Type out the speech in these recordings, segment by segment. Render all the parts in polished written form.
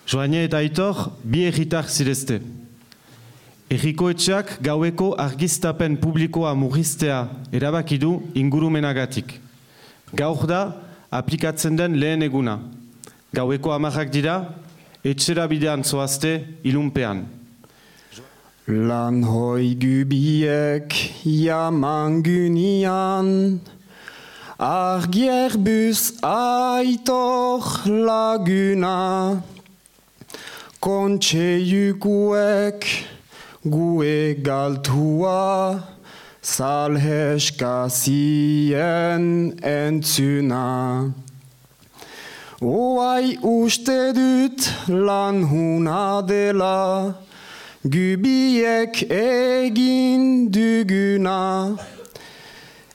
Joane eta Aitor bi herritar zirezte. Herrikoetxeak gaueko argiztapen publikoa murriztea erabaki du ingurumenagatik. Gaur da aplikatzen den lehen eguna. Gaueko 10 dira, etxera bidean zoazte ilunpean. Lan hoi gubiek jaman gynian, argierbus Aitor laguna, kontseiukuek gue galtua, salheska zien entzuna. Oai uste dut lan huna dela, gubiek egin duguna.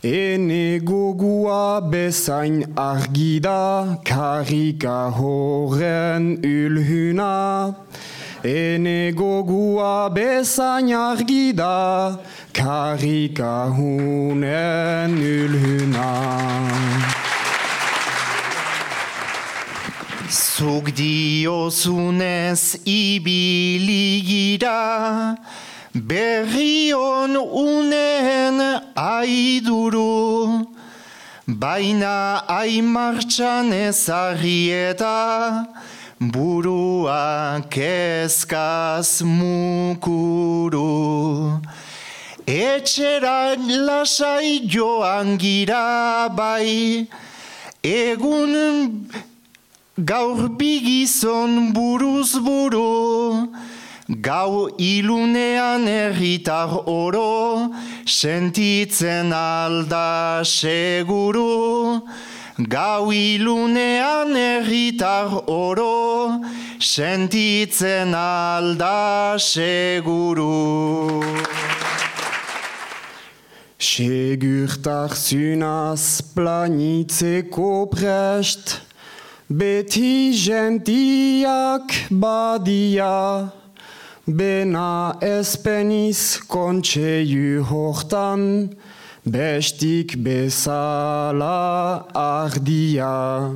Ene gogua bezain argida, karika horren ulhuna. Ene gogua bezain argida, karika hunen ulhuna. Zuk diozunez ibiligira, berrion unen aiduru, baina aimartxan ezarri eta burua kezkaz mukuru. Etxera lasai joan gira bai, egun gaur bigizon buruz buru, gau ilunean herritar oro, sentitzen alda seguru. Gau ilunean herritar oro, sentitzen alda seguru. Segurtasunaz planitzeko prest, beti gentiak badia, bena ezpeniz kontseiu hortan, bestik bezala ardia.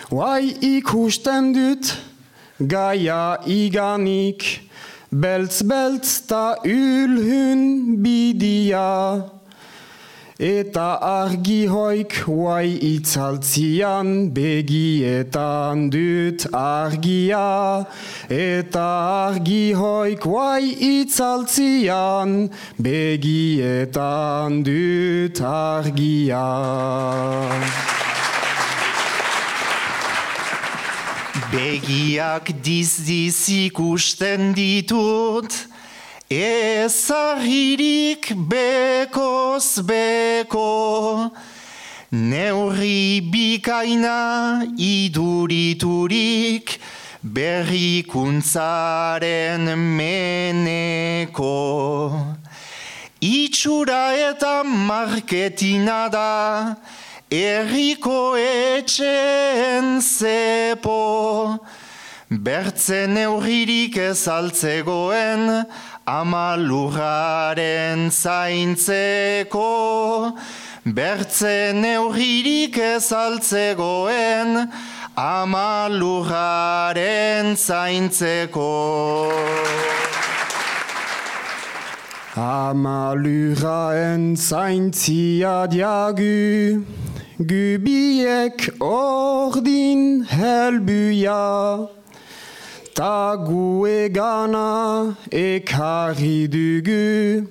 Oai ikusten dut gaia iganik, beltz ta ulhun bidia. Eta argi hoik oai itzaltzian, begietan dut argia. Eta argi hoik oai itzaltzian, begietan dut argia. Begiak diz ikusten ditut, ezarririk bekoz beko, neurri bikaina iduriturik, berrikuntzaren meneko. Itxura eta marketina da, herriko etxeen zepo, bertzen neurririk ezaltzegoen, ama lurraren zaintzeko. Bertzen neurririk ezaltzegoen, ama lurraren zaintzeko. Ama lurraren zaintzia diagu, gubiek ordin helbuia. Ta gue gana ekarri dugu,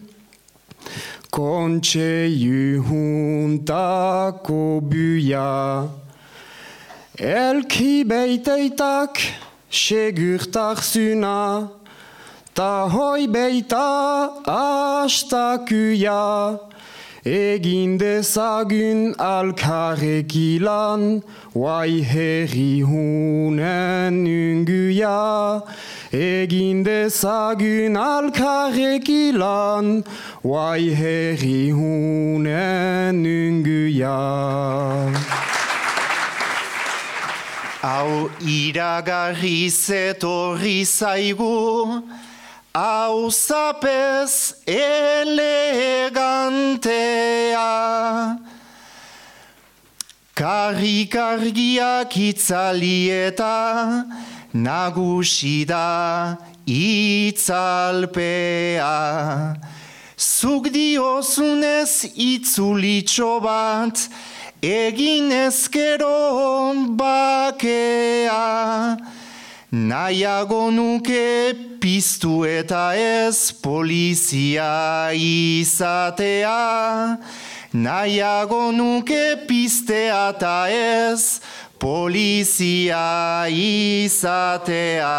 kontseiu huntako buia. Elki beiteitak segurtarsuna, ta hoi beita astakuia. Egin dezagun alkarrekilan, oai herri hunen unguia. Egin dezagun alkarrekilan, oai herri hunen unguia. Hau iragarriz etorri zaigu, hau zapez elegantea. Karrikargiak itzali eta nagusi da itzalpea. Zuk diozunez itzulitxo bat, egin ezkero bakea. Nahiago nuke piztu eta ez polizia izatea. Nahiago nuke piztea eta ez polizia izatea.